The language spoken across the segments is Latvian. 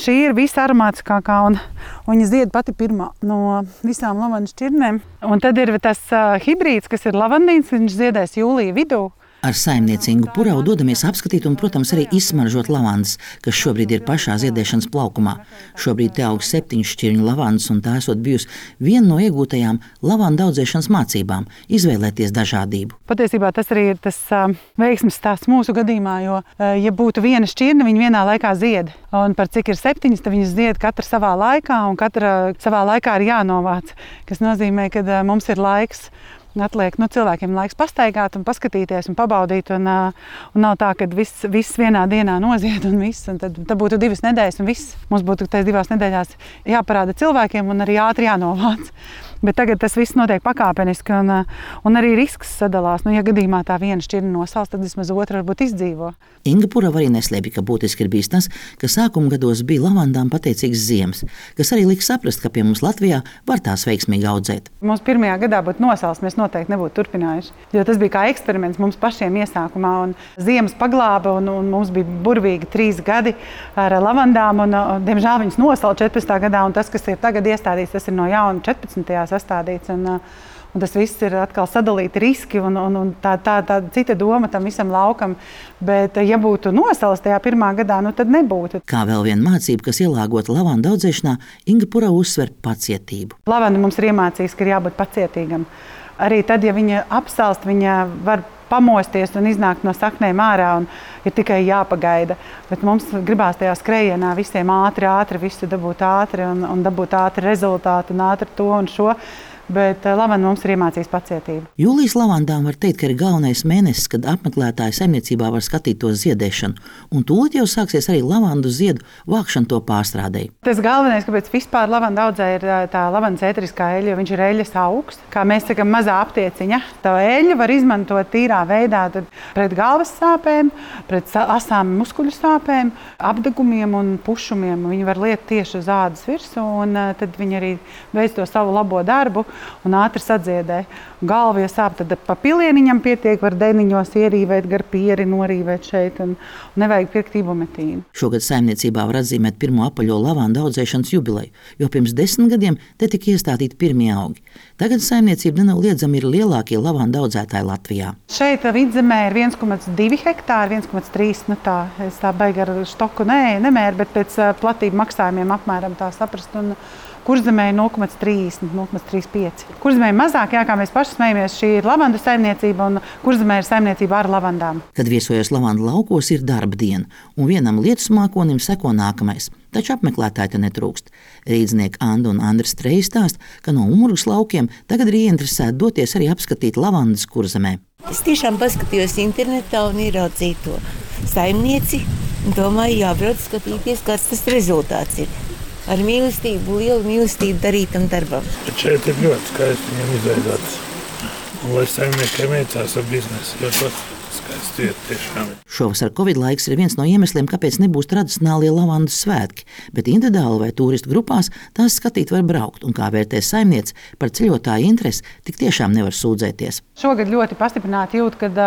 šī ir visaromātiskākā un viņa zied pati pirmā no visām lavandas šķirnēm. Un tad ir tas hibrīds, kas ir lavandīns, viņš ziedēs jūlija vidū. Ar saimnieci Ingu Puravu dodamies apskatīt un, protams, arī izsmaržot lavandas, kas šobrīd ir pašā ziedēšanas plaukumā. Šobrīd te aug 7 šķirņu lavandas, un tā esot bijusi viena no iegūtajām lavandu audzēšanas mācībām – izvēlēties dažādību. Patiesībā tas arī ir tas veiksmes stāsts mūsu gadījumā, jo, ja būtu viena šķirne, viņa vienā laikā zied. Un par cik ir 7, tad viņas zied katra savā laikā, un katra savā laikā ir jānovāc, kas nozīmē, ka mums ir laiks. Atliek cilvēkiem laiks pastaigāt un paskatīties un pabaudīt. Un nav tā, ka viss vienā dienā nozied un viss. Un tad būtu 2 nedēļas un viss. Mums būtu tajās 2 nedēļās jāparāda cilvēkiem un arī ātri jānovāc. Bet tagad tas viss notiek pakāpeniski un arī risks sadalās. Ja gadījumā tā viena šķirne nosals, tad vismaz otra varbūt izdzīvo. Inga Purava arī neslēpj, ka būtiski ir bijis tas, ka sākuma gados bija lavandām pateicīgs ziemas, kas arī liek saprast, ka pie mums Latvijā var tās veiksmīgi audzēt. Mums pirmajā gadā būtu nosals, mēs noteikti nebūtu turpinājuši. Jo tas bija kā eksperiments mums pašiem iesākumā. Un ziemas paglāba un mums bija burvīgi 3 gadi ar lavandām. Diemžēl viņas nosala 14. gadā. Un tas, kas ir tagad iestādīts, tas ir no jauna 14. sastādīts. Un tas viss ir atkal sadalīti riski un tā cita doma tam visam laukam. Bet, ja būtu nosals tajā pirmā gadā, tad nebūtu. Kā vēl viena mācība, kas ielāgota lavandu audzēšanā, Inga Purava uzsver pacietību. Lavanda mums ir iemācījis, ka ir jābūt pacietīgam. Arī tad, ja viņa apsalst, viņa var pamosties un iznākt no saknēm ārā un ir tikai jāpagaida. Bet mums gribās tajā skrējienā visiem ātri visu dabūt ātri un dabūt ātri rezultātu un ātri to un šo. Bet lavanda mums ir iemācījis pacietību. Jūlijas lavandām var teikt, ka ir galvenais mēnesis, kad apmeklētāji saimniecībā var skatīt to ziedēšanu. Un tūlīt jau sāksies arī lavandu ziedu vākšana to pārstrādei. Tas galvenais, kāpēc vispār lavanda audzē, ir tā lavandas ēteriskā eļļa, jo viņš ir eļļas augs. Kā mēs sakam, mazā aptieciņa. Tā eļļa var izmantot tīrā veidā pret galvas sāpēm, pret asām muskuļu sāpēm, apdegumiem un pušumiem. Viņi var liet tieši uz ādas virsmu, un tad viņi arī veic to savu labo darbu un ātri sadziedē. Galva, ja sāp, tad pa pilieniņam pietiek, var deniņos ierīvēt, gar pieri norīvēt šeit un nevajag pirkt ibumetīnu. Šogad saimniecībā var atzīmēt pirmo apaļo lavandu audzēšanas jubileju, jo pirms 10 gadiem te tika iestādīti pirmie augi. Tagad saimniecība nenoliedzami ir lielākie lavandu audzētāji Latvijā. Šeit vidzemē ir 1,2 hektāri, 1,3, es tā baigi ar štoku nemēru, bet pēc platību maksājumiem apmēram tā saprast. Un Kurzemē ir 0,30, 0,35. Kurzemē ir mazāk, kā mēs paši smejamies, šī ir lavandu saimniecība un Kurzemē ir saimniecība ar lavandām. Kad viesojos lavandu laukos, ir darba diena, un vienam lietus mākonim seko nākamais. Taču apmeklētāji te netrūkst. Rīdznieki Anda un Andris Treji stāsta, ka no Umurgas laukiem tagad ir ieinteresēti doties arī apskatīt lavandas Kurzemē. Es tiešām paskatījos internetā un ieraudzīju to saimnieci un domāju, jābrauc skatīties, kāds tas rezultāts ir. Ar mīlestību, lielu mīlestību darītam darbam. Bet šeit ir ļoti skaisti viņam izveidots. Un lai saimniekiem veicās ar biznesu, jo tas skaisti iet tiešām. Šovasar Covid laiks ir viens no iemesliem, kāpēc nebūs tradicionālie lavandu svētki, bet individuāli vai turistu grupās tās skatīt var braukt. Un kā vērtēs saimniece, par ceļotāju interesi tik tiešām nevar sūdzēties. Šogad ļoti pastiprināti jūt, kad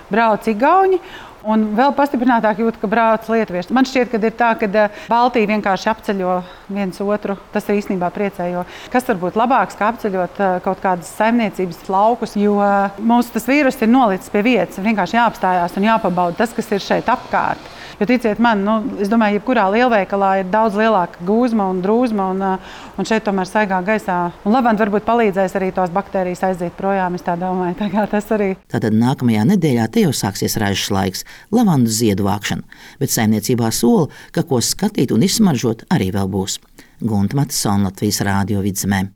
brauc igauņi. Un vēl pastiprinātāk jūt, ka brauc lietuvieši. Man šķiet, ka ir tā, ka Baltija vienkārši apceļo viens otru. Tas ir īstenībā priecē, jo kas var būt labāks, kā apceļot kaut kādas saimniecības laukus, jo mūsu tas vīrus ir nolicis pie vietas. Vienkārši jāapstājās un jāpabauda tas, kas ir šeit apkārt. Jo ticiet man, es domāju, jebkurā lielveikalā ir daudz lielāka gūzma un drūzma, un šeit tomēr saigā gaisā. Un lavanda varbūt palīdzēs arī tos baktērijas aiziet projām, es tā domāju. Tas arī. Tātad nākamajā nedēļā te jau sāksies ražas laiks, lavandu ziedu vākšana, bet saimniecībā sola, ka ko skatīt un izsmaržot arī vēl būs. Gunta Matisona, Latvijas Rādio Vidzemē.